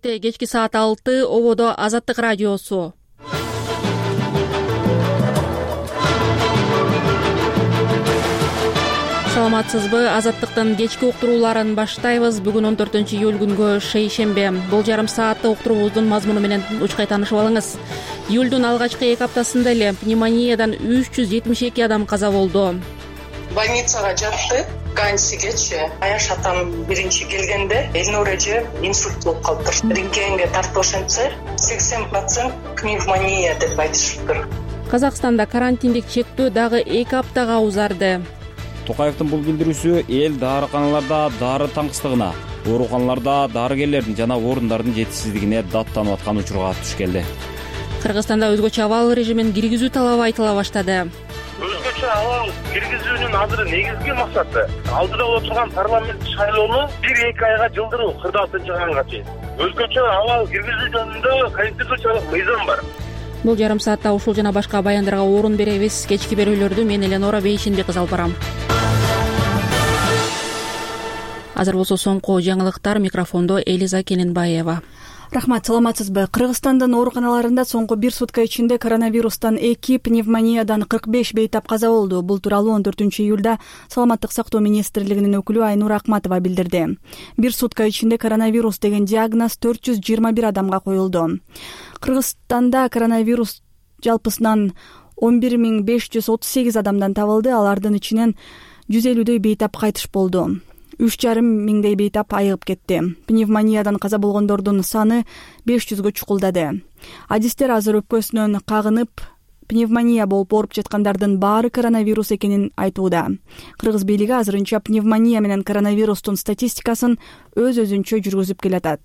Кечки саат 6 ободо Азаттык радиосу. Саламатсызбы? Азаттыктын кечки уктурууларын баштайбыз. Бүгүн 14-июль күнгө шейшембе. Бул жарым саатта уктуруубуздун мазмуну менен учкай таанышып алыңыз. Июлдун алгачкы 2 аптасында эле пневмониядан 372 адам каза болду. Больницага жатты. Ганьсигечи Аяш атам биринчи келгенде Элнур эже инсульт болуп калыптыр. Рентгенге тартып ошентсе 80% пневмония деп айтышыптыр. Казакстанда карантиндик чектөө дагы 2 аптага узарды. Токаевдин бул билдирүүсү эл дарыканаларда дары таңкыстыгына, ооруканаларда дарыгерлердин жана орундардын жетишсиздигине даттанып аткан учурга туш келди. Кыргызстанда өзгөчө абал режимин киргизүү талабы айтыла баштады. Өзгөчө абал киргизүүнүн азыр негизги максаты алдыда отурган парламент шайлоону 1-2 айга жылдыруу 46-га чейин. Өзгөчө абал киргизүү жөнүндө конституциялык мыйзам бар. Бул жарым саатта ушул жана башка баяндарга орун беребиз. Кечки берүүлөрдү мен Эленора Бейшинбек алып барам. Азыр болсо соңку жаңылыктар, микрофондо Элиза Келенбаева. Рахмат, саламатсызбы? Кыргызстандын ооруканаларында соңку 1 сутка ичинде коронавирустан 2, пневмониядан 45 бейтап каза болду. Бул тууралуу 14-июлда Саламаттык сактоо министрлигинин өкүлү Айнура Акматова билдирди. 1 сутка ичинде коронавирус деген диагноз 421 адамга коюлду. Кыргызстанда коронавирус жалпысынан 11538 адамдан табылды. Алардын ичинен 150дөй бейтап кайтыш болду. 3,5 миңдей бейтап айыгып кетти. Пневмониядан каза болгондордун саны 500гө чукулдады. Адистер азыр өпкөсүнөн кагынып, пневмония болуп ооруп жаткандардын баары коронавирус экенин айтууда. Кыргыз бийлиги азырынча пневмония менен коронавирустун статистикасын өз-өзүнчө жүргүзүп келатат.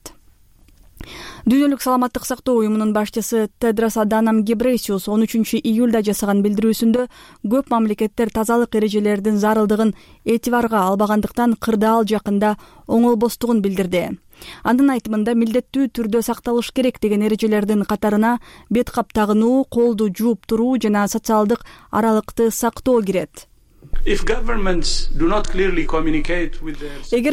Дүйнөлүк саламаттык сактоо уюмунун башчысы Тедрос Аданом Гебрейсиус 13-июлда жасаган билдирүүсүндө көп мамлекеттер тазалык эрежелеринин зарылдыгын этибарга албагандыктан кырдаал жакында оңолбостугун билдирди. Анын айтымында милдеттүү түрдө сакталыш керек деген эрежелердин катарына бет кап тагынуу, колду жууп туруу жана социалдык аралыкты сактоо кирет. Эгер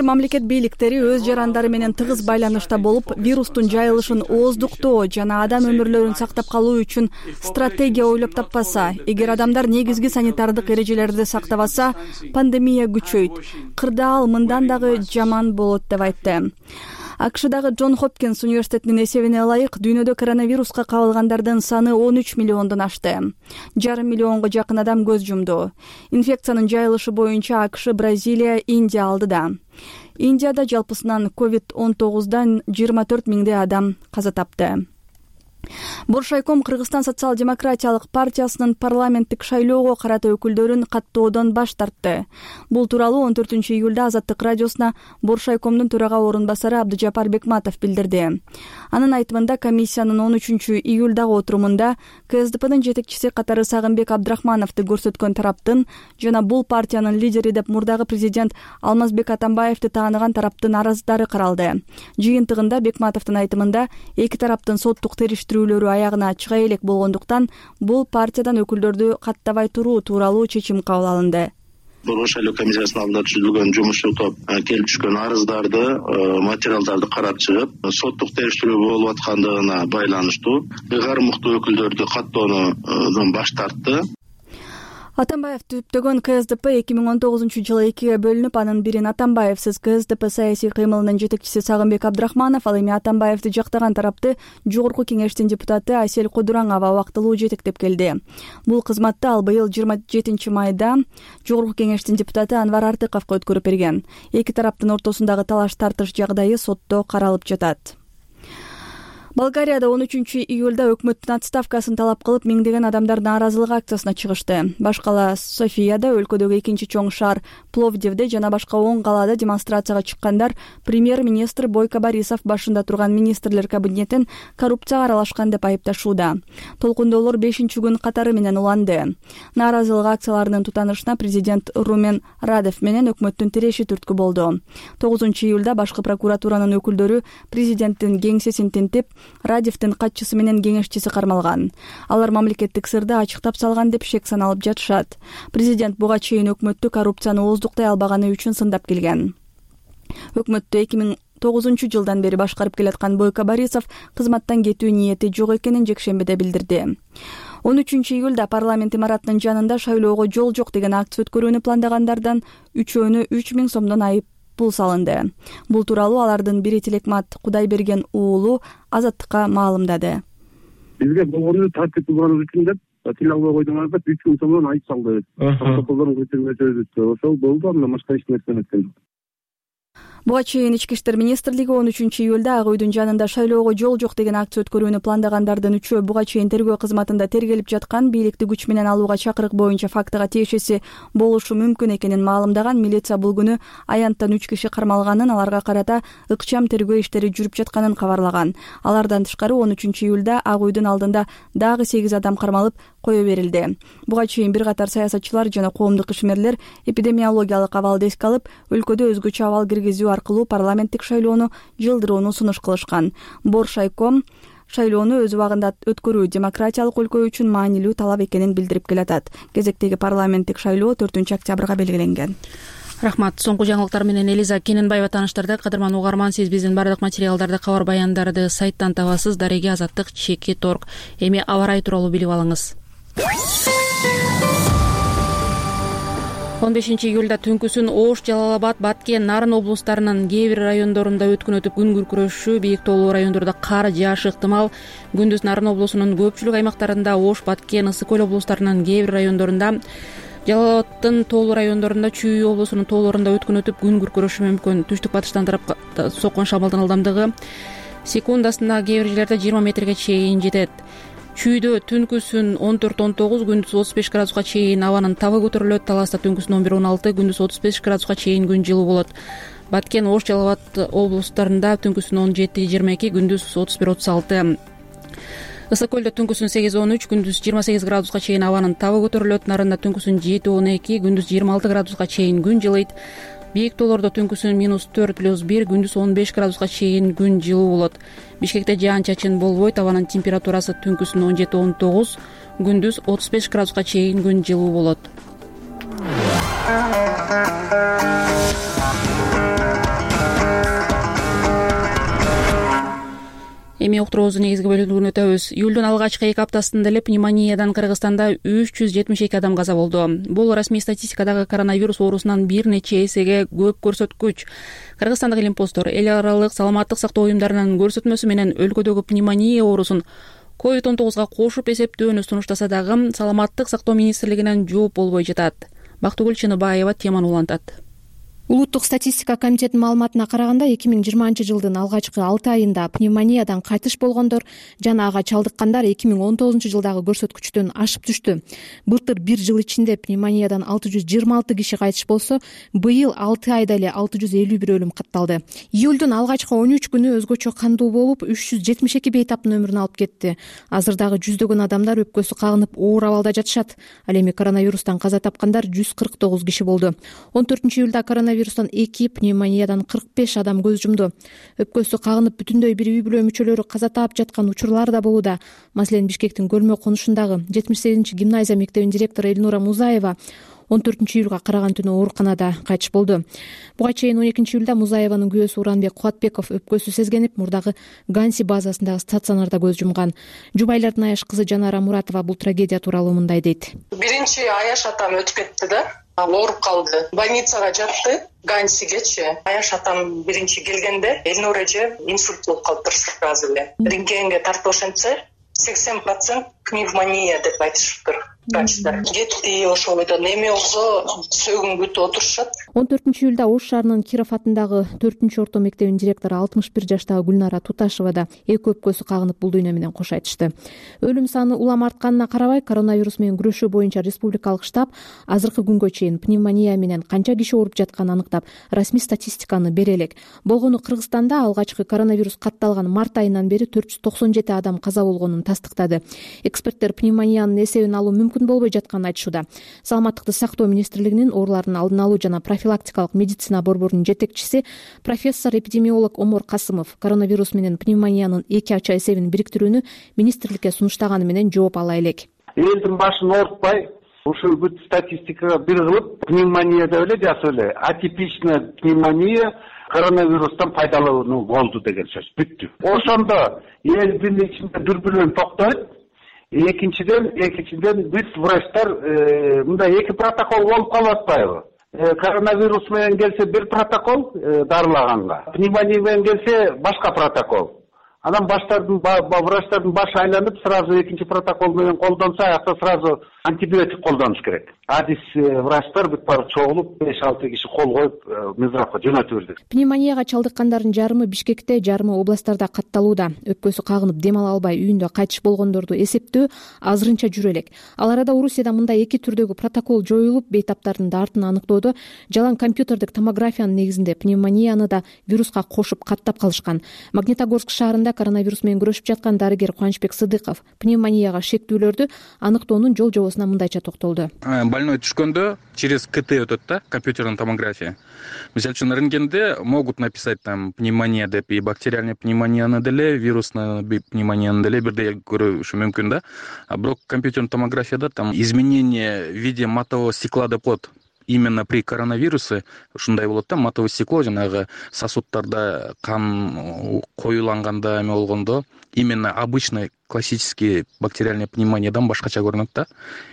мамлекет бийликтери өз жарандары менен тыгыз байланышта болуп, вирустун жайылышын ооздуктоо жана адам өмүрлөрүн сактап калуу үчүн стратегия ойлоп таппаса, эгер адамдар негизги санитардык эрежелерди сактабаса, пандемия күчөйт. Кырдаал мындан дагы жаман болот деп айтты. АКШдагы Джон Хопкинс университетинин эсебине ылайык, дүйнөдө коронавируска кабылгандардын саны 13 миллиондон ашты. 1,5 миллионго жакын адам көз жумду. Инфекциянын жайылышы боюнча АКШ, Бразилия, Индия алдыда. Индияда жалпысынан COVID-19дан 24 миңдей адам каза тапты. Боршайком Кыргызстан социал-демократиялык партиясынын парламенттик шайлоого карата өкүлдөрүн каттоодон баш тартты. Бул тууралуу 14-июлда Азаттык радиосуна Боршайкомдун төрага орун басары Абдыжапар Бекматов билдирди. Анын айтымында комиссиянын 13-июлдагы отурумунда КСДПнын жетекчиси катары Сагынбек Абдрахмановду көрсөткөн тараптын жана бул партиянын лидери деп мурдагы президент Алмазбек Атамбаевди тааныган тараптын арыздары каралды. Жыйынтыгында Бекматовдун айтымында эки тараптын соттук териштирүүлөрү аягына чыга элек болгондуктан бул партиядан өкүлдөрдү каттабай туруу тууралуу чечим кабыл алынды. Борбор шайлоо комиссиясынын алдында түзүлгөн жумушчу топ келип түшкөн арыздарды, материалдарды карап чыгып, соттук териштирүү болуп аткандыгына байланыштуу ыйгарым мыкты өкүлдөрдү каттоодон баш тартты. Атамбаев түптөгөн КСДП 2019-жылы 2ге бөлүнүп, анын бирин Атамбаевсиз КСДП саясий кыймылынын жетекчиси Сагынбек Абдрахманов, ал эми Атамбаевди жактаган тарапты Жогорку кеңештин депутаты Асель Кудураңова убактылуу жетектеп келди. Бул кызматты ал быйыл 27 майда Жогорку кеңештин депутаты Анвар Артыковго өткөрүп берген. Эки тараптын ортосундагы талаш-тартыш жагдайы сотто каралып жатат. Болгарияда 13-июлда өкмөттүн отставкасын талап кылып, миңдеген адамдар нааразылык акциясына чыгышты. Баш кала Софияда, өлкөдөгү экинчи чоң шаар Пловдивде жана башка 10 калаада демонстрацияга чыккандар премьер-министр Бойко Борисов башында турган министрлер кабинетин коррупцияга аралашкан деп айыпташууда. Толкундоолор 5-күн катары менен уланды. Нааразылык акцияларынын тутанышына президент Румен Радев менен өкмөттүн тиреши түрткү болду. 9-июлда башкы прокуратуранын өкүлдөрү президенттин кеңсесин тинтип, Радевдин катчысы менен кеңешчиси кармалган. Алар мамлекеттик сырды ачыктап салган деп шек саналып жатышат. Президент буга чейин өкмөттү коррупцияны ооздуктай албаганы үчүн сындап келген. Өкмөттү жылдан бери башкарып келаткан Бойко Борисов кызматтан кетүү ниети жок экенин жекшембиде билдирди. 13-июлда парламент имаратынын жанында шайлоого жол жок деген акция өткөрүүнү пландагандардан 3-өөнө 3000 сомдон айып пул салынды. Бул тууралуу алардын бири Тилекмат Кудайберген уулу Азаттыкка маалымдады. Бизге болгону тартип булганыбыз үчүн деп тил албай койдуңар деп 3000 сомдон айып салды. Протоколдорун көчүрмөчүбүз ошол болду, андан башка эч нерсе эметкен жок. Буга чейин Ички иштер министрлиги 13-июлда Ак үйдүн жанында шайлоого жол жок деген акция өткөрүүнү пландагандардын 3-өө буга чейин тергөө кызматында тергелип жаткан бийликти күч менен алууга чакырык боюнча фактыга тиешеси болушу мүмкүн экенин маалымдаган. Милиция бул күнү аянттан 3 киши кармалганын, аларга карата ыкчам тергөө иштери жүрүп жатканын кабарлаган. Алардан тышкары 13-июлда Ак үйдүн алдында дагы 8 адам кармалып кое берилди. Буга чейин бир катар саясатчылар жана коомдук ишмерлер эпидемиологиялык абалды эске алып, өлкөдө өзгөчө абал киргизүү аркылуу парламенттик шайлоону жылдырууну сунуш кылышкан. Боршайком шайлоону өз убагында өткөрүү демократиялык өлкө үчүн маанилүү талап экенин билдирип келатат. Кезектеги парламенттик шайлоо 4-октябрга белгиленген. Рахмат. Соңку жаңылыктар менен Элиза Кененбаева тааныштырды. Кадырман угарман, сиз биздин бардык материалдарды, кабар баяндарды сайттан табасыз. Дареги Азаттык /Торг. Эми аба ырайы тууралуу билип алыңыз. 15-июлда түнкүсүн Ош, Жалал-Абад, Баткен, Нарын облустарынын кээ бир райондорунда өткөн өтүп күн күркүрөшүү, бийик тоолуу райондордо кар жаашы ыктымал. Күндүз Нарын облусунун көпчүлүк аймактарында, Ош, Баткен, Ысык көл облустарынын кээ бир райондорунда, Жалал-Абаддын тоолуу райондорунда, Чүй облусунун тоолорунда өткөн өтүп күн күркүрөшү мүмкүн. Түштүк батыштан тарап соккон шамалдын ылдамдыгы секундасына кээ бир жерлерде 20 метрге чейин жетет. Чүйдө түнкүсүн 14-19, күндүз 35 градуска чейин абанын табы көтөрүлөт. Таласта түнкүсүн 11-16, күндүз 35 градуска чейин күн жылуу болот. Баткен, Ош, Жалал-Абад облустарында түнкүсүн 17-22, күндүз 31-36. Ысык көлдө түнкүсүн 8-13, күндүз 28 градуска чейин абанын табы көтөрүлөт. Нарында түнкүсүн 7-12, күндүз 26 градуска чейин күн жылыйт. Бийик тоолордо түнкүсүн -4+1, күндүз 15 градуска чейин күн жылуу болот. Бишкекте жаан-чачын болбойт. Абанын температурасы түнкүсүн 17-19, күндүз 35 градуска чейин күн жылуу болот. Эми уктуруубуздун негизги бөлүгүнө өтөбүз. Июлдун алгачкы 2 аптасында эле пневмониядан Кыргызстанда 372 адам каза болду. Бул расмий статистикадагы коронавирус оорусунан бир нече эсеге көп көрсөткүч. Кыргызстандык илимпоздор эл аралык саламаттык сактоо уюмдарынын көрсөтмөсү менен өлкөдөгү пневмония оорусун COVID-19 кошуп эсептөөнү сунуштаса дагы Саламаттык сактоо министрлигинен жооп болбой жатат. Бактыгүл Чыныбаева теманы улантат. Улуттук статистика комитетинин маалыматына караганда 2020 жылдын алгачкы 6 айында пневмониядан кайтыш болгондор жана ага чалдыккандар 2019 жылдагы көрсөткүчтөн ашып түштү. Былтыр бир жыл ичинде пневмониядан 626 киши кайтыш болсо, быйыл 6 айда эле 651 өлүм катталды. Июлдун алгачкы 13 күнү өзгөчө кандуу болуп, 372 бейтаптын өмүрүн алып кетти. Азыр дагы жүздөгөн адамдар өпкөсү кагынып оор абалда жатышат. Ал эми коронавирустан каза тапкандар 149 киши болду. 14-июлда коронавирустан 2, пневмониядан 45 адам көз жумду. Өпкөсү кагынып бүтүндөй бир үй бүлө мүчөлөрү каза таап жаткан учурлар да болууда. Маселен, Бишкектин Көлмө конушундагы 78-гимназия мектебинин директору Эльнура Музаева 14-июлга караган түнү ооруканада кайтыш болду. Буга чейин 12-июлда Музаеванын күйөөсү Уранбек Кубатбеков өпкөсү сезгенип, мурдагы Ганси базасындагы стационарда көз жумган. Жубайлардын Аяш кызы Жанара Муратова бул трагедия тууралуу мындай дейт. Биринчи Аяш атам өтүп кетти да, ооруп калды. Больницага жатты. Гансигечи. Аяш атам биринчи келгенде Эльнур эже инсульт болуп калыптыр сразу эле. Рентгенге тартып ошентсе 80% пневмония деп айтышыптыр. Кетти ошол бойдон эми болсо сөөгүн күтүп отурушат. 14-июлда Ош шаарынын Киров атындагы 4-орто мектебинин директору 61 жаштагы Гүлнара Туташева да эки өпкөсү кагынып бул дүйнө менен кош айтышты. Өлүм саны улам артканына карабай, коронавирус менен күрөшүү боюнча республикалык штаб азыркы күнгө чейин пневмония менен канча киши ооруп жатканын аныктап, расмий статистиканы бере элек. Болгону Кыргызстанда алгачкы коронавирус катталган март айынан бери 497 адам каза болгонун тастыктады. Эксперттер пневмониянын эсебин алуу мүмкүн болбой жатканын айтышууда. Саламаттыкты сактоо министрлигинин оорулардын алдын алуу жана профилактикалык медицина борборунун жетекчиси профессор эпидемиолог Омор Касымов коронавирус менен пневмониянын эки ача эсебин бириктирүүнү министрликке сунуштаганы менен жооп ала элек. Элдин башын оорутпай, ушул бүт статистикага бир кылып, пневмония деп эле жазып эле. Атипичная пневмония коронавирустан пайдалануу болду деген сөз. Бүттү. Ошондо элдин ичинде дүрбүлөң токтойт. Экинчиден биз врачтар мындай эки протокол болуп калып атпайбы? Коронавирус менен келсе бир протокол дарылаганга, пневмония менен келсе башка протокол. Анан врачтардын башы айланып, сразу экинчи протокол менен колдонсо, аякта сразу антибиотик колдонуш керек. Биз врачтар бүт баары чогулуп 5-6 киши кол коюп Мизрапка жөнөтүп бердик. Пневмонияга чалдыккандардын жарымы Бишкекте, жарымы областтарда катталууда. Өпкөсү кагынып дем ала албай үйүндө кайтыш болгондорду эсептөө азырынча жүрө элек. Ал арада Орусияда мындай эки түрдөгү протокол жоюлуп, бейтаптардын дартын аныктоодо жалаң компьютердик томографиянын негизинде пневмонияны да вируска кошуп каттап калышкан. Магнитогорск шаарында коронавирус менен күрөшүп жаткан дарыгер Кубанычбек Сыдыков пневмонияга шектүүлөрдү аныктоонун жол жобосуна мындайча токтолду. Больной түшкөндө через КТ өтөт да, компьютерная томография. Мисалы үчүн рентгенде могут написать там пневмония деп, и бактериальная пневмонияны деле, вирусная пневмонияны деле бирдей көрүшү мүмкүн да. А бирок компьютерная томографияда там изменение в виде матового стекла деп коет. Именно при коронавирусе ушундай болот да, матовое стекло жанагы сосудтарда кан коюланганда эме болгондо именно обычный классический бактериальная пневмониядан башкача көрүнөт да,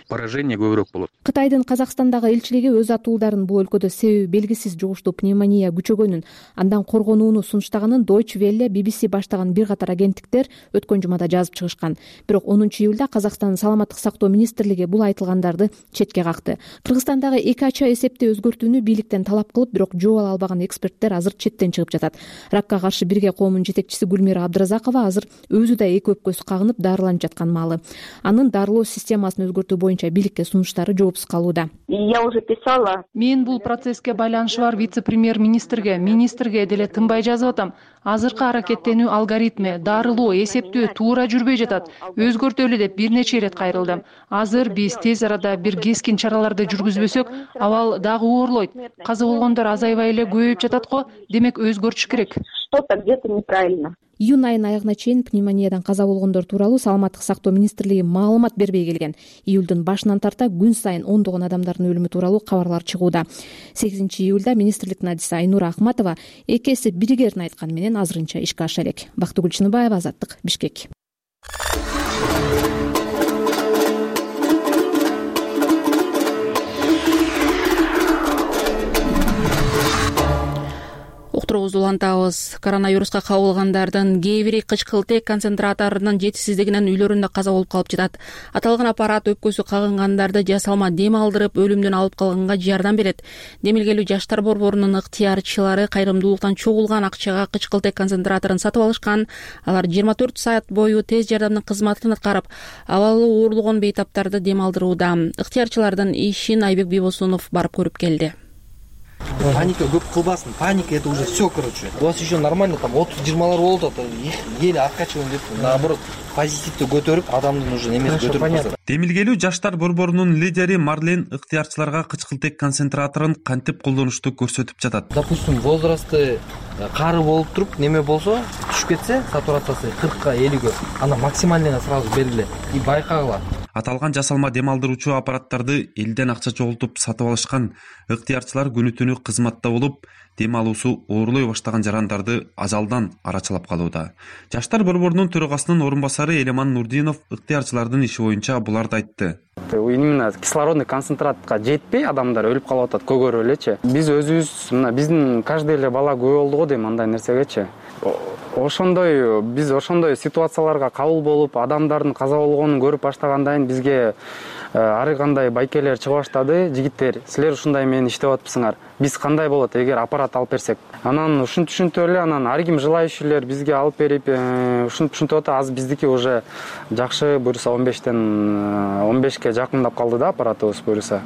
поражение көбүрөөк болот. Кытайдын Казакстандагы элчилиги өз атуулдарын бул өлкөдө себеби белгисиз жугуштуу пневмония күчөгөнүн, андан коргонууну сунуштаганын Deutsche Welle, BBC баштаган бир катар агенттиктер өткөн жумада жазып чыгышкан. Бирок 10-июлда Казакстандын саламаттык сактоо министрлиги бул айтылгандарды четке какты. Кыргызстандагы эки ача эсепти өзгөртүүнү бийликтен талап кылып, бирок жол ала албаган эксперттер азыр четтен чыгып жатат. Ракка каршы бирге коомунун жетекчиси Гүлмира Абдыразакова азыр өзү да эки өпкөсү кагынып дарыланып жаткан маалы. Анын дарылоо системасын өзгөртүү боюнча бийликке сунуштары жоопсуз калууда. Я уже писала. Мен бул процесске байланышы бар вице-премьер-министрге, министрге деле тынбай жазып атам. Азыркы аракеттенүү алгоритми, дарылоо, эсептөө туура жүрбөй жатат. Өзгөртөлү деп бир нече ирет кайрылдым. Азыр биз тез арада бир кескин чараларды жүргүзбөсөк, абал дагы оорлойт. Каза болгондор азайбай эле көбөйүп жатат го, демек өзгөртүш керек. Что-то где-то неправильно. Июнь айынын аягына чейин пневмониядан каза болгондор тууралуу саламаттык сактоо министрлиги маалымат бербей келген. Июлдун башынан тарта күн сайын ондогон адамдардын өлүмү тууралуу кабарлар чыгууда. 8-июлда министрликтин адиси Айнура Ахматова эки эсеп биригерин айтканы менен азырынча ишке аша элек. Бактыгүл Чыныбаева, Азаттык, Бишкек. Уктуруубузду улантабыз. Коронавируска кабылгандардын кээ бири кычкылтек концентраторунун жетишсиздигинен үйлөрүндө каза болуп калып жатат. Аталган аппарат өпкөсү кагынгандарды жасалма дем алдырып, өлүмдөн алып калганга жардам берет. Демилгелүү жаштар борборунун ыктыярчылары кайрымдуулуктан чогулган акчага кычкылтек концентраторун сатып алышкан. Алар 24 саат бою тез жардамдын кызматын аткарып, абалы оорлогон бейтаптарды дем алдырууда. Ыктыярчылардын ишин Айбек Бибосунов барып көрүп келди. Паника көп кылбасын. Паника это уже все, короче. У вас еще нормально там 30-20 болду, их еле откачиваем деп, наоборот, позитивди көтөрүп, адамдын уже немеси көтөрүп. Демилгелүү жаштар борборунун лидери Марлен ыктыярчыларга кычкылтек концентраторун кантип колдонушту көрсөтүп жатат. Допустим, возрасты кары болуп туруп, неме болсо, түшүп кетсе, сатурациясы 40-ка 50-ге, ана максимальныйга сразу бергиле и байкагыла. Аталган жасалма дем алдыруучу аппараттарды элден акча чогултуп сатып алышкан. Ыктыярчылар күнү түнү кызматта болуп, дем алуусу оорлой баштаган жарандарды ажалдан арачылап калууда. Жаштар борборунун төрагасынын орун басары Элеман Нурдинов ыктыярчылардын иши боюнча буларды айтты. Именно кислородный концентратка жетпей адамдар өлүп калып атат көгөрүп элечи. Биз өзүбүз мына биздин каждый эле бала күбө болду го дейм андай нерсегечи. Биз ошондой ситуацияларга кабыл болуп, адамдардын каза болгонун көрүп баштагандан кийин бизге ар кандай байкелер чыга баштады. Жигиттер, силер ушундай менен иштеп атпсыңар. Биз кандай болот эгер аппарат алып берсек? Анан ушинтип эле анан ар ким желающийлер бизге алып берип, ушинтип атат. Азыр биздики уже жакшы буюрса 15ке жакындап калды да аппаратыбыз буюрса.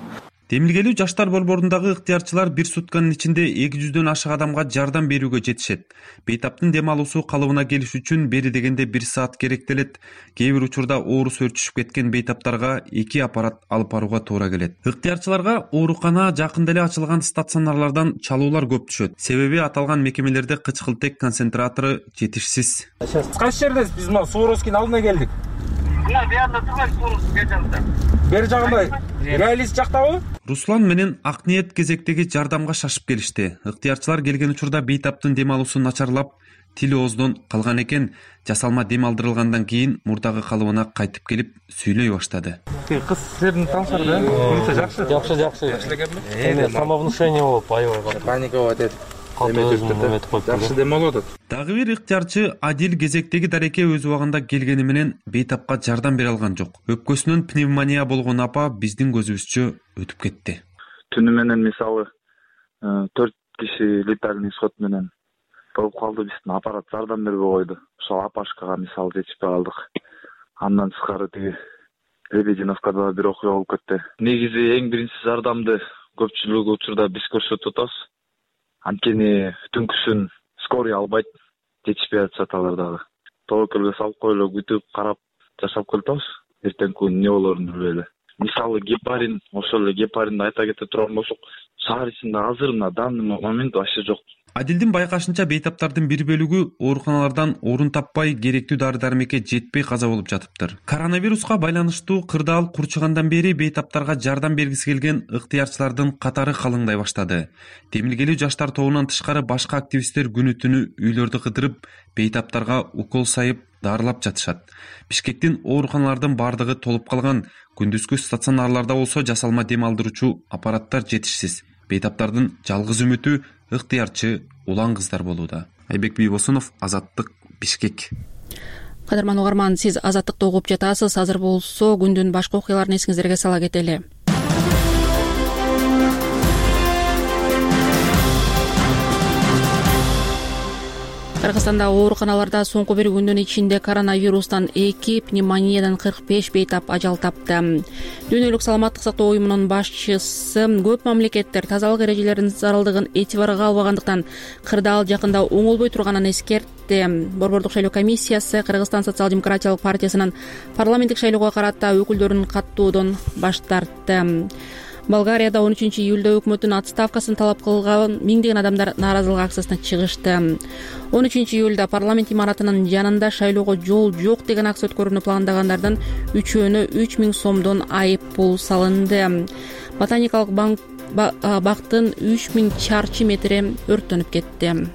Демилгелүү жаштар борборундагы ыктыярчылар бир сутканын ичинде 200дөн ашык адамга жардам берүүгө жетишет. Бейтаптын дем алуусу калыбына келиш үчүн бери дегенде 1 саат керектелет. Кээ бир учурда оорусу өрчүшүп кеткен бейтаптарга 2 аппарат алып барууга туура келет. Ыктыярчыларга оорукана жакында эле ачылган стационарлардан чалуулар көп түшөт. Себеби аталган мекемелерде кычкылтек концентратору жетишсиз. Кайсы жердесиз? Биз мына Суворовскийдин алдына келдик. Мына буякта турбайбыз, Суворовский бер жагында. Бер жагында? Реалист жактабы? Руслан менен Акниет кезектеги жардамга шашып келишти. Ыктыярчылар келген учурда бейтаптын дем алуусу начарлап, тили ооздон калган экен. Жасалма дем алдырылгандан кийин мурдагы калыбына кайтып келип сөйлөй баштады. Кыз силердин таңсар да? Жакшы. Жакшы эле гепми? Самовнушение болуп аябай паникалап атат. Жакшы дем алып атат. Дагы бир ыктыярчы Адил кезектеги дареке өз убагында келгени менен бейтапка жардам бере алган жок. Өпкөсүнөн пневмония болгон апа биздин көзүбүзчө өтүп кетти. Түнү менен мисалы 4 киши летальный исход менен болуп калды. Биздин аппарат жардам бербей койду. Ошол апашкага мисалы жетишпей калдык. Андан тышкары тиги Лебединовкада бир окуя болуп кетти. Негизи эң биринчи жардамды көпчүлүк учурда биз көрсөтүп атабыз. Анткени түнкүсүн скорый албайт, жетишпей атышат алар дагы. Тобокелге салып коелу, күтүп карап жашап келатабыз. Эртеңки күнү эмне болорун билбей эле. Мисалы гепарин, ошол эле гепаринди айта кете турган болсок, шаар ичинде азыр на данный момент вообще жок. Адилдин байкашынча бейтаптардын бир бөлүгү ооруканалардан орун таппай, керектүү дары-дармекке жетпей каза болуп жатыптыр. Коронавируска байланыштуу кырдаал курчугандан бери бейтаптарга жардам бергиси келген ыктыярчылардын катары калыңдай баштады. Демилгелүү жаштар тобунан тышкары башка активисттер күнү-түнү үйлөрдү кыдырып, бейтаптарга укол сайып, дарылап жатышат. Бишкектин ооруканалардын бардыгы толуп калган. Күндүзгү стационарларда болсо жасалма дем алдыруучу аппараттар жетишсиз. Бейтаптардын жалгыз үмүтү ыктыярчы улан кыздар болууда. Айбек Бийбосунов, Азаттык, Бишкек. Кадырман угарман, сиз Азаттыкты угуп жатасыз. Азыр болсо күндүн башка окуяларын эсиңиздерге сала кетели. Кыргызстанда ооруканаларда соңку бир күндүн ичинде коронавирустан 2, пневмониядан 45 бейтап ажал тапты. Дүйнөлүк саламаттык сактоо уюмунун башчысы көп мамлекеттер тазалык эрежелеринин зарылдыгын этибарга албагандыктан кырдаал жакында оңолбой турганын эскертти. Борбордук шайлоо комиссиясы Кыргызстан социал-демократиялык партиясынын парламенттик шайлоого карата өкүлдөрүн каттоодон баш тартты. Болгарияда 13-июлда өкмөттүн отставкасын талап кылган миңдеген адамдар нааразылык акциясына чыгышты. 13-июлда парламент имаратынын жанында шайлоого жол жок деген акция өткөрүүнү пландагандардын үчөөнө 3000 сомдон айып пул салынды. Ботаникалык бактын 3000 чарчы метри өрттөнүп кетти.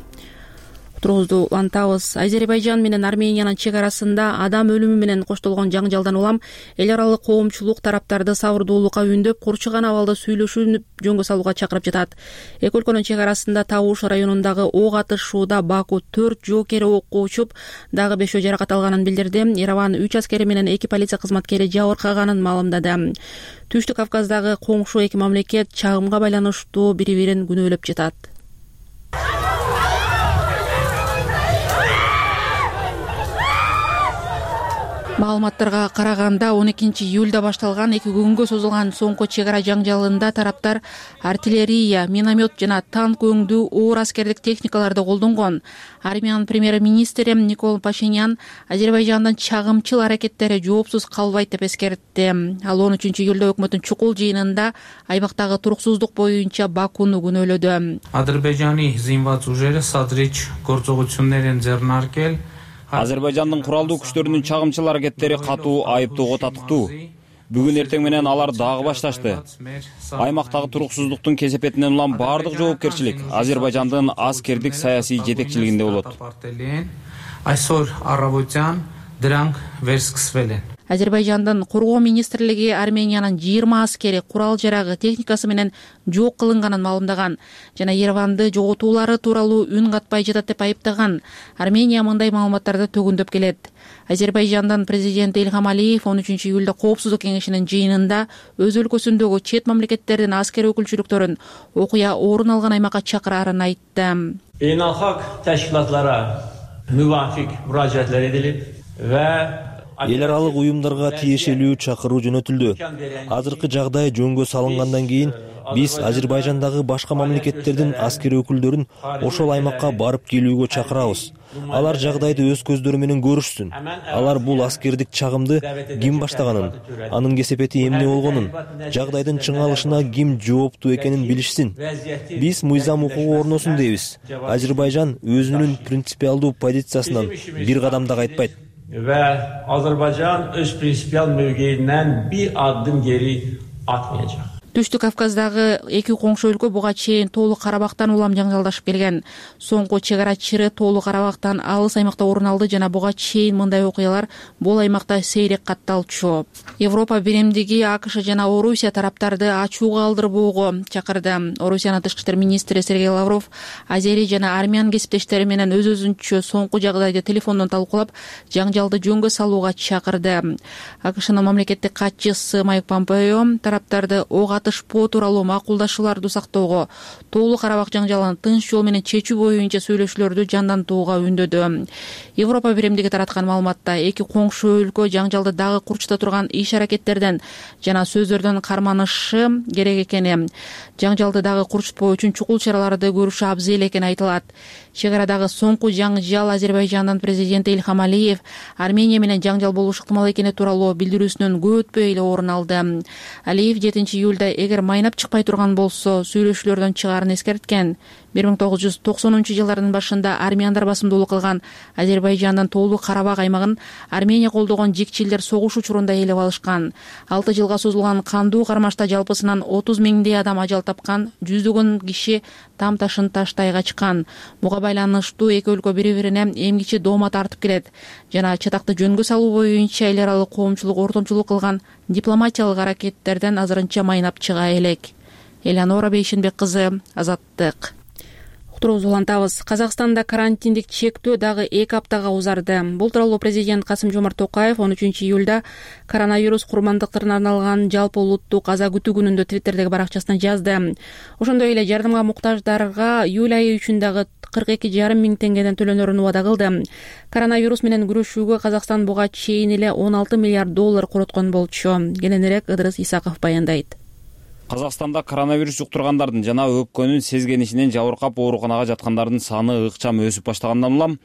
Тургузду улантабыз. Азербайжан менен Армениянын чек арасында адам өлүмү менен коштолгон жаңжалдан улам эл аралык коомчулук тараптарды сабырдуулукка үндөп, курчуган абалда сүйлөшүүнү жөнгө салууга чакырып жатат. Эки өлкөнүн чек арасында Табуш районундагы ок атышууда Баку 4 жоокери окко учуп, дагы 5 жаракат алганын билдирди. Ереван 3 аскери менен 2 полиция кызматкери жабыркаганын маалымдады. Түштүк Кавказдагы коңшу эки мамлекет чагымга байланыштуу бири-бирин күнөөлөп жатат. Маалыматтарга караганда 12-июлда башталган 2 күнгө созулган соңку чек ара жаңжалында тараптар артиллерия, миномет жана танк өңдүү оор аскердик техникаларды колдонгон. Армениянын премьер-министри Никол Пашинян Азербайжандын чагымчыл аракеттери жоопсуз калбайт деп эскертти. Ал 13-июлда өкмөттүн чукул жыйынында айбактагы туруксуздук боюнча Бакуну күнөөлөдү. Азербайжаны зинват ужери садрич корзогучунерин жернаркел Азербайжандын куралдуу күчтөрүнүн чагымчыл аракеттери катуу айыптоого татыктуу. Бүгүн эртең менен алар дагы башташты. Аймактагы туруксуздуктун кесепетинен улам бардык жоопкерчилик Азербайжандын аскердик саясий жетекчилигинде болот. Азербайжандын Коргоо министрлиги Армениянын 20 аскери курал жарагы техникасы менен жок кылынганын маалымдаган жана Ереванды жоготуулары тууралуу үн катпай жатат деп айыптаган. Армения мындай маалыматтарды төгүндөп келет. Азербайжандын президенти Илхам Алиев 13-июлда Коопсуздук кеңешинин жыйынында өз өлкөсүндөгү чет мамлекеттердин аскер өкүлчүлүктөрүн окуя орун алган аймакка чакырарын айтты. Beynalxalq təşkilatlara müvafiq müraciətlər edilib və эл аралык уюмдарга тиешелүү чакыруу жөнөтүлдү. Азыркы жагдай жөнгө салынгандан кийин биз Азербайжандагы башка мамлекеттердин аскер өкүлдөрүн ошол аймакка барып келүүгө чакырабыз. Алар жагдайды өз көздөрү менен көрүшсүн. Алар бул аскердик чагымды ким баштаганын, анын кесепети эмне болгонун, жагдайдын чыңалышына ким жооптуу экенин билишсин. Биз мыйзам укугу орносун дейбиз. Азербайжан өзүнүн принципиалдуу позициясынан бир кадам да кайтпайт. Ve Azerbaycan öz prinsipiyal mövqeyindən bir addım geri atmayacaq. Түштүк Кавказдагы эки коңшу өлкө буга чейин Тоолуу Карабактан улам жаңжалдашып келген. Соңку чек ара чыры Тоолуу Карабактан алыс аймакта орун алды жана буга чейин мындай окуялар бул аймакта сейрек катталчу. Европа биримдиги АКШ жана Орусия тараптарды ачууга алдырбоого чакырды. Орусиянын тышкы иштер министри Сергей Лавров азери жана армян кесиптештери менен өз-өзүнчө соңку жагдайды телефондон талкуулап, жаңжалды жөнгө салууга чакырды. АКШнын мамлекеттик катчысы Майк Помпео тараптарды ок атышпоо тууралуу макулдашууларды сактоого, Тоолуу Карабак жаңжалын тынч жол менен чечүү боюнча сүйлөшүүлөрдү жандантууга үндөдү. Европа биримдиги тараткан маалыматта эки коңшу өлкө жаңжалды дагы курчута турган иш-аракеттерден жана сөздөрдөн карманышы керек экени, жаңжалды дагы курчутпоо үчүн чукул чараларды көрүшү абзел экени айтылат. Чек арадагы соңку жаңжал Азербайжандын президенти Ильхам Алиев Армения менен жаңжал болушу ыктымал экени тууралуу билдирүүсүнөн көп өтпөй эле орун алды. Алиев 7-июлда эгер майнап чыкпай турган болсо сүйлөшүүлөрдөн чыгаарын эскерткен. 1990-жылдардын башында армяндар басымдуулук кылган Азербайжандын Тоолуу Карабак аймагын Армения колдогон жикчилдер согуш учурунда ээлеп алышкан. 6 жылга созулган кандуу кармашта жалпысынан 30 миңдей адам ажал тапкан, жүздөгөн киши там ташын таштай качкан. Буга байланыштуу эки өлкө бири-бирине эмгиче доомат тартып келет жана чатакты жөнгө салуу боюнча эл аралык коомчулук ортомчулук кылган дипломатиялык аракеттерден азырынча майнап чыга элек. Элеонора Бейшенбек кызы, Азаттык. Уктуруубузду улантабыз. Казакстанда карантиндик чектөө дагы 2 аптага узарды. Бул тууралуу президент Касым-Жомарт Токаев 13-июлда коронавирус курмандыктарына арналган жалпы улуттук аза күтүү күнүндө Твиттердеги баракчасына жазды. Ошондой эле жардымга муктаждарга июль айы үчүн дагы 42,5 миң теңгеден төлөнөрүн убада кылды. Коронавирус менен күрөшүүгө Казакстан буга чейин эле 16 миллиард доллар короткон болчу. Кененирээк Ыдырыс Исаков баяндайт. Казакстанда коронавирус жуктургандардын жана өпкөнүн сезгенишинен жабыркап ооруканага жаткандардын саны ыкчам өсүп баштагандан улам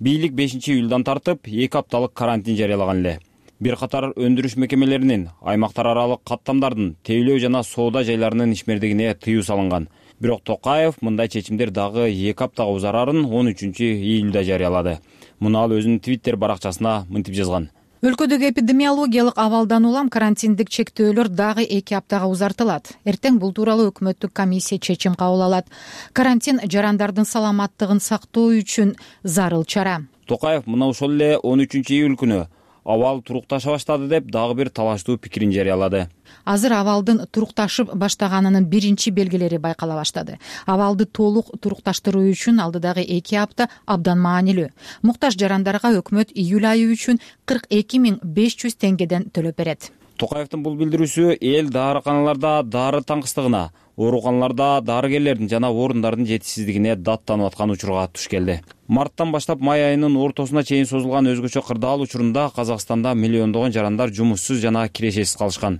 бийлик 5-июлдан тартып 2 апталык карантин жарыялаган эле. Бир катар өндүрүш мекемелеринин аймактар аралык каттамдардын тейлөө жана соода жайларынын ишмердигине тыюу салынган. Бирок Токаев мындай чечимдер дагы 2 аптага узарарын 13-июлда жарыялады. Муну ал өзүнүн Твиттер баракчасына мынтип жазган. Өлкөдөгү эпидемиологиялык абалдан улам карантиндик чектөөлөр дагы 2 аптага узартылат. Эртең бул тууралуу өкмөттүк комиссия чечим кабыл алат. Карантин жарандардын саламаттыгын сактоо үчүн зарыл чара. Токаев мына ошол эле 13-июль күнү абал турукташа баштады деп дагы бир талаштуу пикирин жарыялады. Азыр абалдын турукташып баштаганынын биринчи белгилери байкала баштады. Абалды толук турукташтыруу үчүн алдыдагы 2 апта абдан маанилүү. Муктаж жарандарга өкмөт июль айы үчүн 42,500 теңгеден төлөп берет. Токаевдин бул билдирүүсү эл дарыканаларда дары таңкыстыгына, ооруканаларда дарыгерлердин жана орундардын жетишсиздигине даттанып аткан учурга туш келди. Марттан баштап май айынын ортосуна чейин созулган өзгөчө кырдаал учурунда Казакстанда миллиондогон жарандар жумушсуз жана кирешесиз калышкан.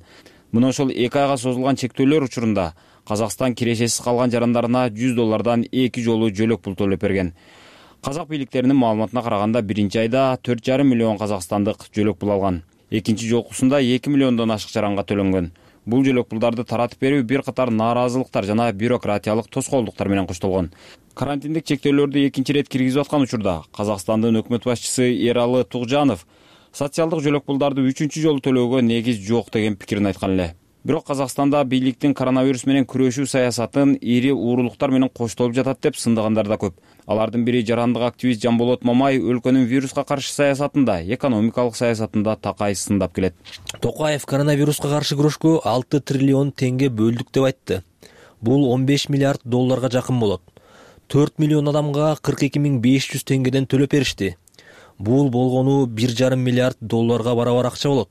Мына ошол 2 айга созулган чектөөлөр учурунда Казакстан кирешесиз калган жарандарына $100 2 жолу жөлөк пул төлөп берген. Казак бийликтеринин маалыматына караганда биринчи айда 4,5 миллион казакстандык жөлөк пул алган. Экинчи жолкусунда 2 миллиондон ашык жаранга төлөнгөн. Бул жөлөк пулдарды таратып берүү бир катар нааразылыктар жана бюрократиялык тоскоолдуктар менен коштолгон. Карантиндик чектөөлөрдү экинчи ирет киргизип аткан учурда Казакстандын өкмөт башчысы Эралы Тугжанов социалдык жөлөк пулдарды 3-чү жолу төлөөгө негиз жок деген пикирин айткан эле. Бирок Казакстанда бийликтин коронавирус менен күрөшүү саясатын ири уурулуктар менен коштолуп жатат деп сындыгандар да көп. Алардын бири жарандык активист Жанболот Мамай өлкөнүн вируска каршы саясатында, экономикалык саясатында такай сындап келет. Токаев коронавируска каршы күрөшкө 6 триллион теңге бөлдүк деп айтты. Бул 15 миллиард долларга жакын болот. 4 миллион адамга 42,500 теңгеден төлөп беришти. Бул болгону 1,5 миллиард долларга барабар акча болот.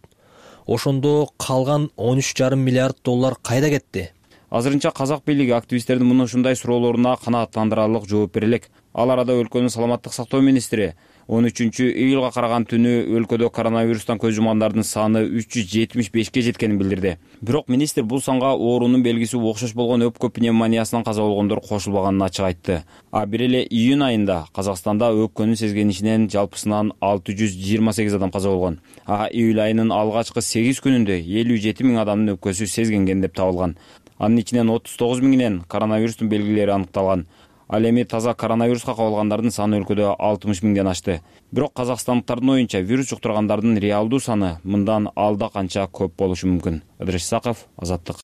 Ошондо калган 13,5 миллиард доллар кайда кетти? Азырынча казак бийлиги активисттердин мына ушундай суроолоруна канааттандырарлык жооп бере элек. Ал арада өлкөнүн саламаттык сактоо министри 13-июлга караган түнү өлкөдө коронавирустан көз жумгандардын саны 375ке жеткенин билдирди. Бирок министр бул санга оорунун белгиси окшош болгон өпкө пневмониясынан каза болгондор кошулбаганын ачык айтты. А бир эле июнь айында Казакстанда өпкөнүн сезгенишинен жалпысынан 628 адам каза болгон. А июль айынын алгачкы 8 күнүндө 57 миң адамдын өпкөсү сезгенген деп табылган. Анын ичинен 39 миңинен коронавирустун белгилери аныкталган. Ал эми таза коронавируска кабылгандардын саны өлкөдө 60 миңден ашты. Бирок казакстандыктардын оюнча вирус жуктургандардын реалдуу саны мындан алда канча көп болушу мүмкүн. Ыдырыс Исаков, Азаттык.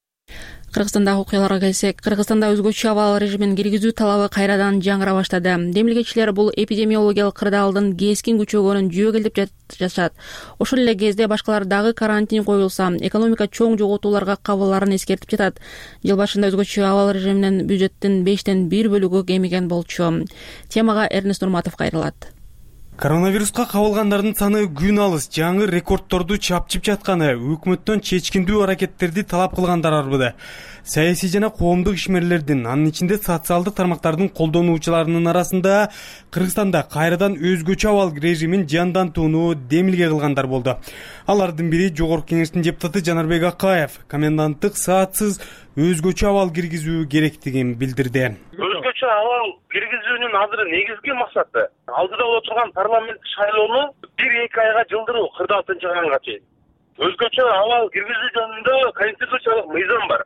Кыргызстандагы окуяларга келсек, Кыргызстанда өзгөчө абал режимин киргизүү талабы кайрадан жаңыра баштады. Демилгечилер бул эпидемиологиялык кырдаалдын кескин күчөгөнүн жүйөгөлдөп жатышат. Ошол эле кезде башкалар дагы карантин коюлса, экономика чоң жоготууларга кабыларын эскертип жатат. Жыл башында өзгөчө абал режиминен бюджеттин 5тен 1 бөлүгү кемиген болчу. Темага Эрнест Нурматов кайрылат. Коронавируска кабылгандардын саны күн алыс жаңы рекордторду чапчып жатканы өкмөттөн чечкиндүү аракеттерди талап кылгандар арбыды. Саясий жана коомдук ишмерлердин, анын ичинде социалдык тармактардын колдонуучуларынын арасында Кыргызстанда кайрадан өзгөчө абал режимин жандантууну демилге кылгандар болду. Алардын бири Жогорку Кеңештин депутаты Жанарбек Акаев коменданттык саатсыз өзгөчө абал киргизүү керектигин билдирди. Өзгөчө абал киргизүүнүн азыр негизги максаты алдыда боло турган парламент шайлоону 1-2 айга жылдыруу 46-айга чейин. Өзгөчө абал киргизүү жөнүндө конституциялык мыйзам бар.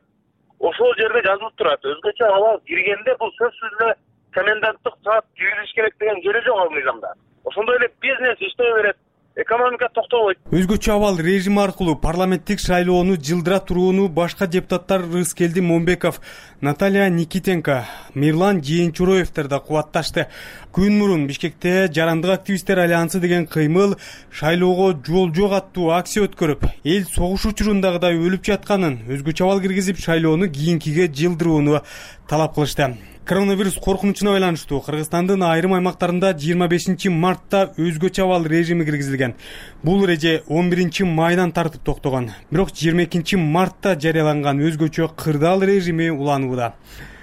Ошол жерде жазылып турат. Өзгөчө абал киргенде бул сөзсүз эле коменданттык саат киргизиш керек деген жери жок ал мыйзамда. Ошондой эле бизнес иштей берет, экономика токтобойт. Өзгөчө абал режим аркылуу парламенттик шайлоону жылдыра турууну башка депутаттар Рыскелди Момбеков, Наталья Никитенко, Мирлан Жээнчуроевдер да кубатташты. Күн мурун Бишкекте Жарандык активисттер альянсы деген кыймыл шайлоого жол жок аттуу акция өткөрүп, эл согуш учурундагыдай өлүп жатканын, өзгөчө абал киргизип шайлоону кийинкиге жылдырууну талап кылышты. Коронавирус коркунучуна байланыштуу Кыргызстандын айрым аймактарында 25 мартта өзгөчө абал режими киргизилген. Бул эреже 11 майдан тартып токтогон. Бирок 22 мартта жарыяланган өзгөчө кырдаал режими уланууда.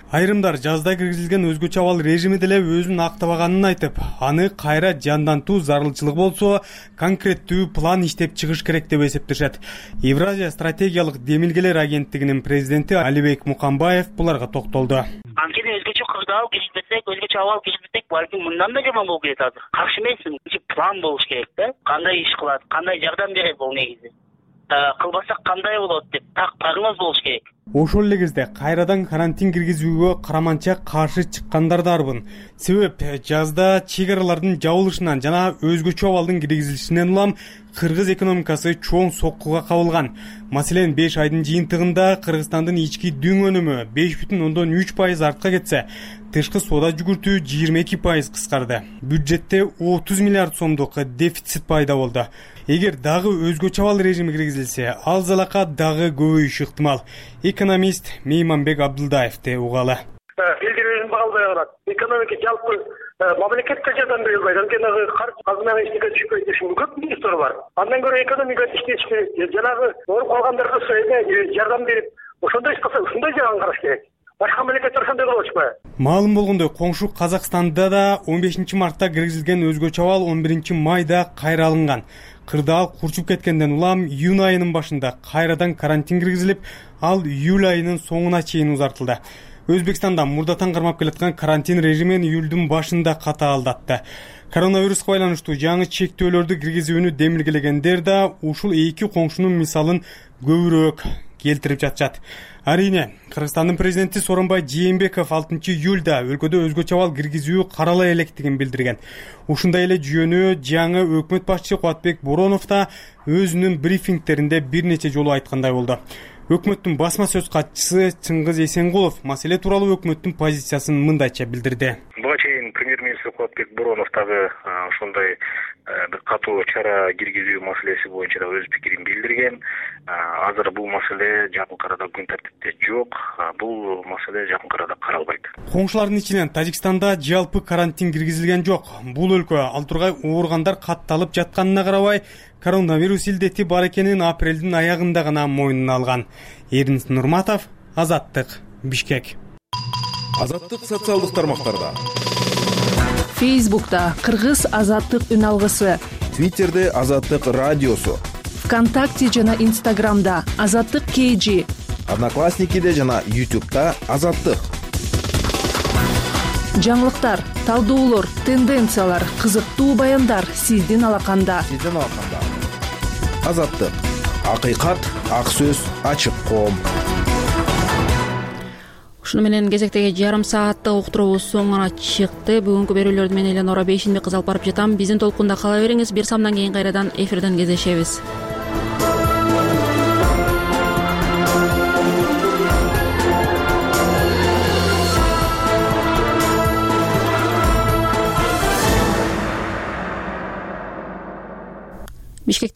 Айрымдар жазда киргизилген өзгөчө абал режими деле өзүн актабаганын айтып, аны кайра жандантуу зарылчылык болсо, конкреттүү план иштеп чыгыш керек деп эсептешет. Евразия стратегиялык демилгелер агенттигинин президенти Алибек Мукамбаев буларга токтолду. Анткени өзгөчө кырдаал киргизбесек, өзгөчө абал киргизбесек, балким мындан да жаман болуп кетет азыр. Каршы эмесмин. План болуш керек да. Кандай иш кылат, кандай жардам берет бул негизи. Кылбасак кандай болот деп так прогноз болуш керек. Ошол эле кезде кайрадан карантин киргизүүгө караманча каршы чыккандар да арбын. Себеп жазда чек аралардын жабылышынан жана өзгөчө абалдын киргизилишинен улам кыргыз экономикасы чоң соккуга кабылган. Маселен, 5 айдын жыйынтыгында Кыргызстандын ички дүң өнүмү 5,3% артка кетсе, тышкы соода жүгүртүү 22% кыскарды. Бюджетте 30 миллиард сомдук дефицит пайда болду. Эгер дагы өзгөчө абал режими киргизилсе, ал залака дагы көбөйүшү ыктымал. Экономист Мейманбек Абдылдаевди угалы. Элдердин багалбай калат. Экономика жалпы мамлекетке жардам бере албайт. Анткени казынага эчтеке түшпөйт ушул көп минустар бар. Андан көрө экономика иштеш керек. Жанагы ооруп калгандарга жардам берип, ошондой иш кылса, ушундай жагын караш керек. Башка мамлекеттер ошондой кылып атышпайбы? Маалым болгондой, коңшу Казакстанда да 15 мартта киргизилген өзгөчө абал 11 майда кайра алынган. Кырдаал курчуп кеткенден улам июнь айынын башында кайрадан карантин киргизилип, ал июль айынын соңуна чейин узартылды. Өзбекстанда мурдатан кармап келаткан карантин режимин июлдун башында катаалдатты. Коронавируска байланыштуу жаңы чектөөлөрдү киргизүүнү демилгелегендер да ушул эки коңшунун мисалын көбүрөөк келтирип жатышат. Арине, Кыргызстандын президенти Сооронбай Жээнбеков 6 июлда өлкөдө өзгөчө абал киргизүү карала электигин билдирген. Ушундай эле жүйөнү жаңы өкмөт башчысы Кубатбек Боронов да өзүнүн брифингтеринде бир нече жолу айткандай болду. Өкмөттүн басма сөз катчысы Чыңгыз Эсенгулов маселе тууралуу өкмөттүн позициясын мындайча билдирди. Буга чейин премьер-министр Кубатбек Боронов дагы ошондой бир катуу чара киргизүү маселеси боюнча да өз пикирин билдирген. Азыр бул маселе жакын арада күн тартипте жок. Бул маселе жакын арада каралбайт. Коңшулардын ичинен Тажикстанда жалпы карантин киргизилген жок. Бул өлкө ал тургай ооругандар катталып жатканына карабай, коронавирус илдети бар экенин апрелдин аягында гана мойнуна алган. Эрнест Нурматов, Азаттык, Бишкек. Азаттык социалдык тармактарда. Фейсбукта Кыргыз Азаттык үн алгысы. Твиттерде Азаттык радиосу. ВКонтакте жана Инстаграмда Азаттык KG. Одноклассникиде жана YouTube'да Азаттык. Жаңылыктар, талдоолор, тенденциялар, кызыктуу баяндар сиздин алаканда. Азаттык. Акыйкат, ак сөз, ачык коом. Ушуну менен кезектеги жарым сааттык уктуруубуз соңуна чыкты. Бүгүнкү берүүлөрдү мен Эленора Бейшинбек кыз алып барып жатам. Биздин толкунда кала бериңиз. Бир самдан кийин кайрадан эфирден кездешебиз. Бишкекте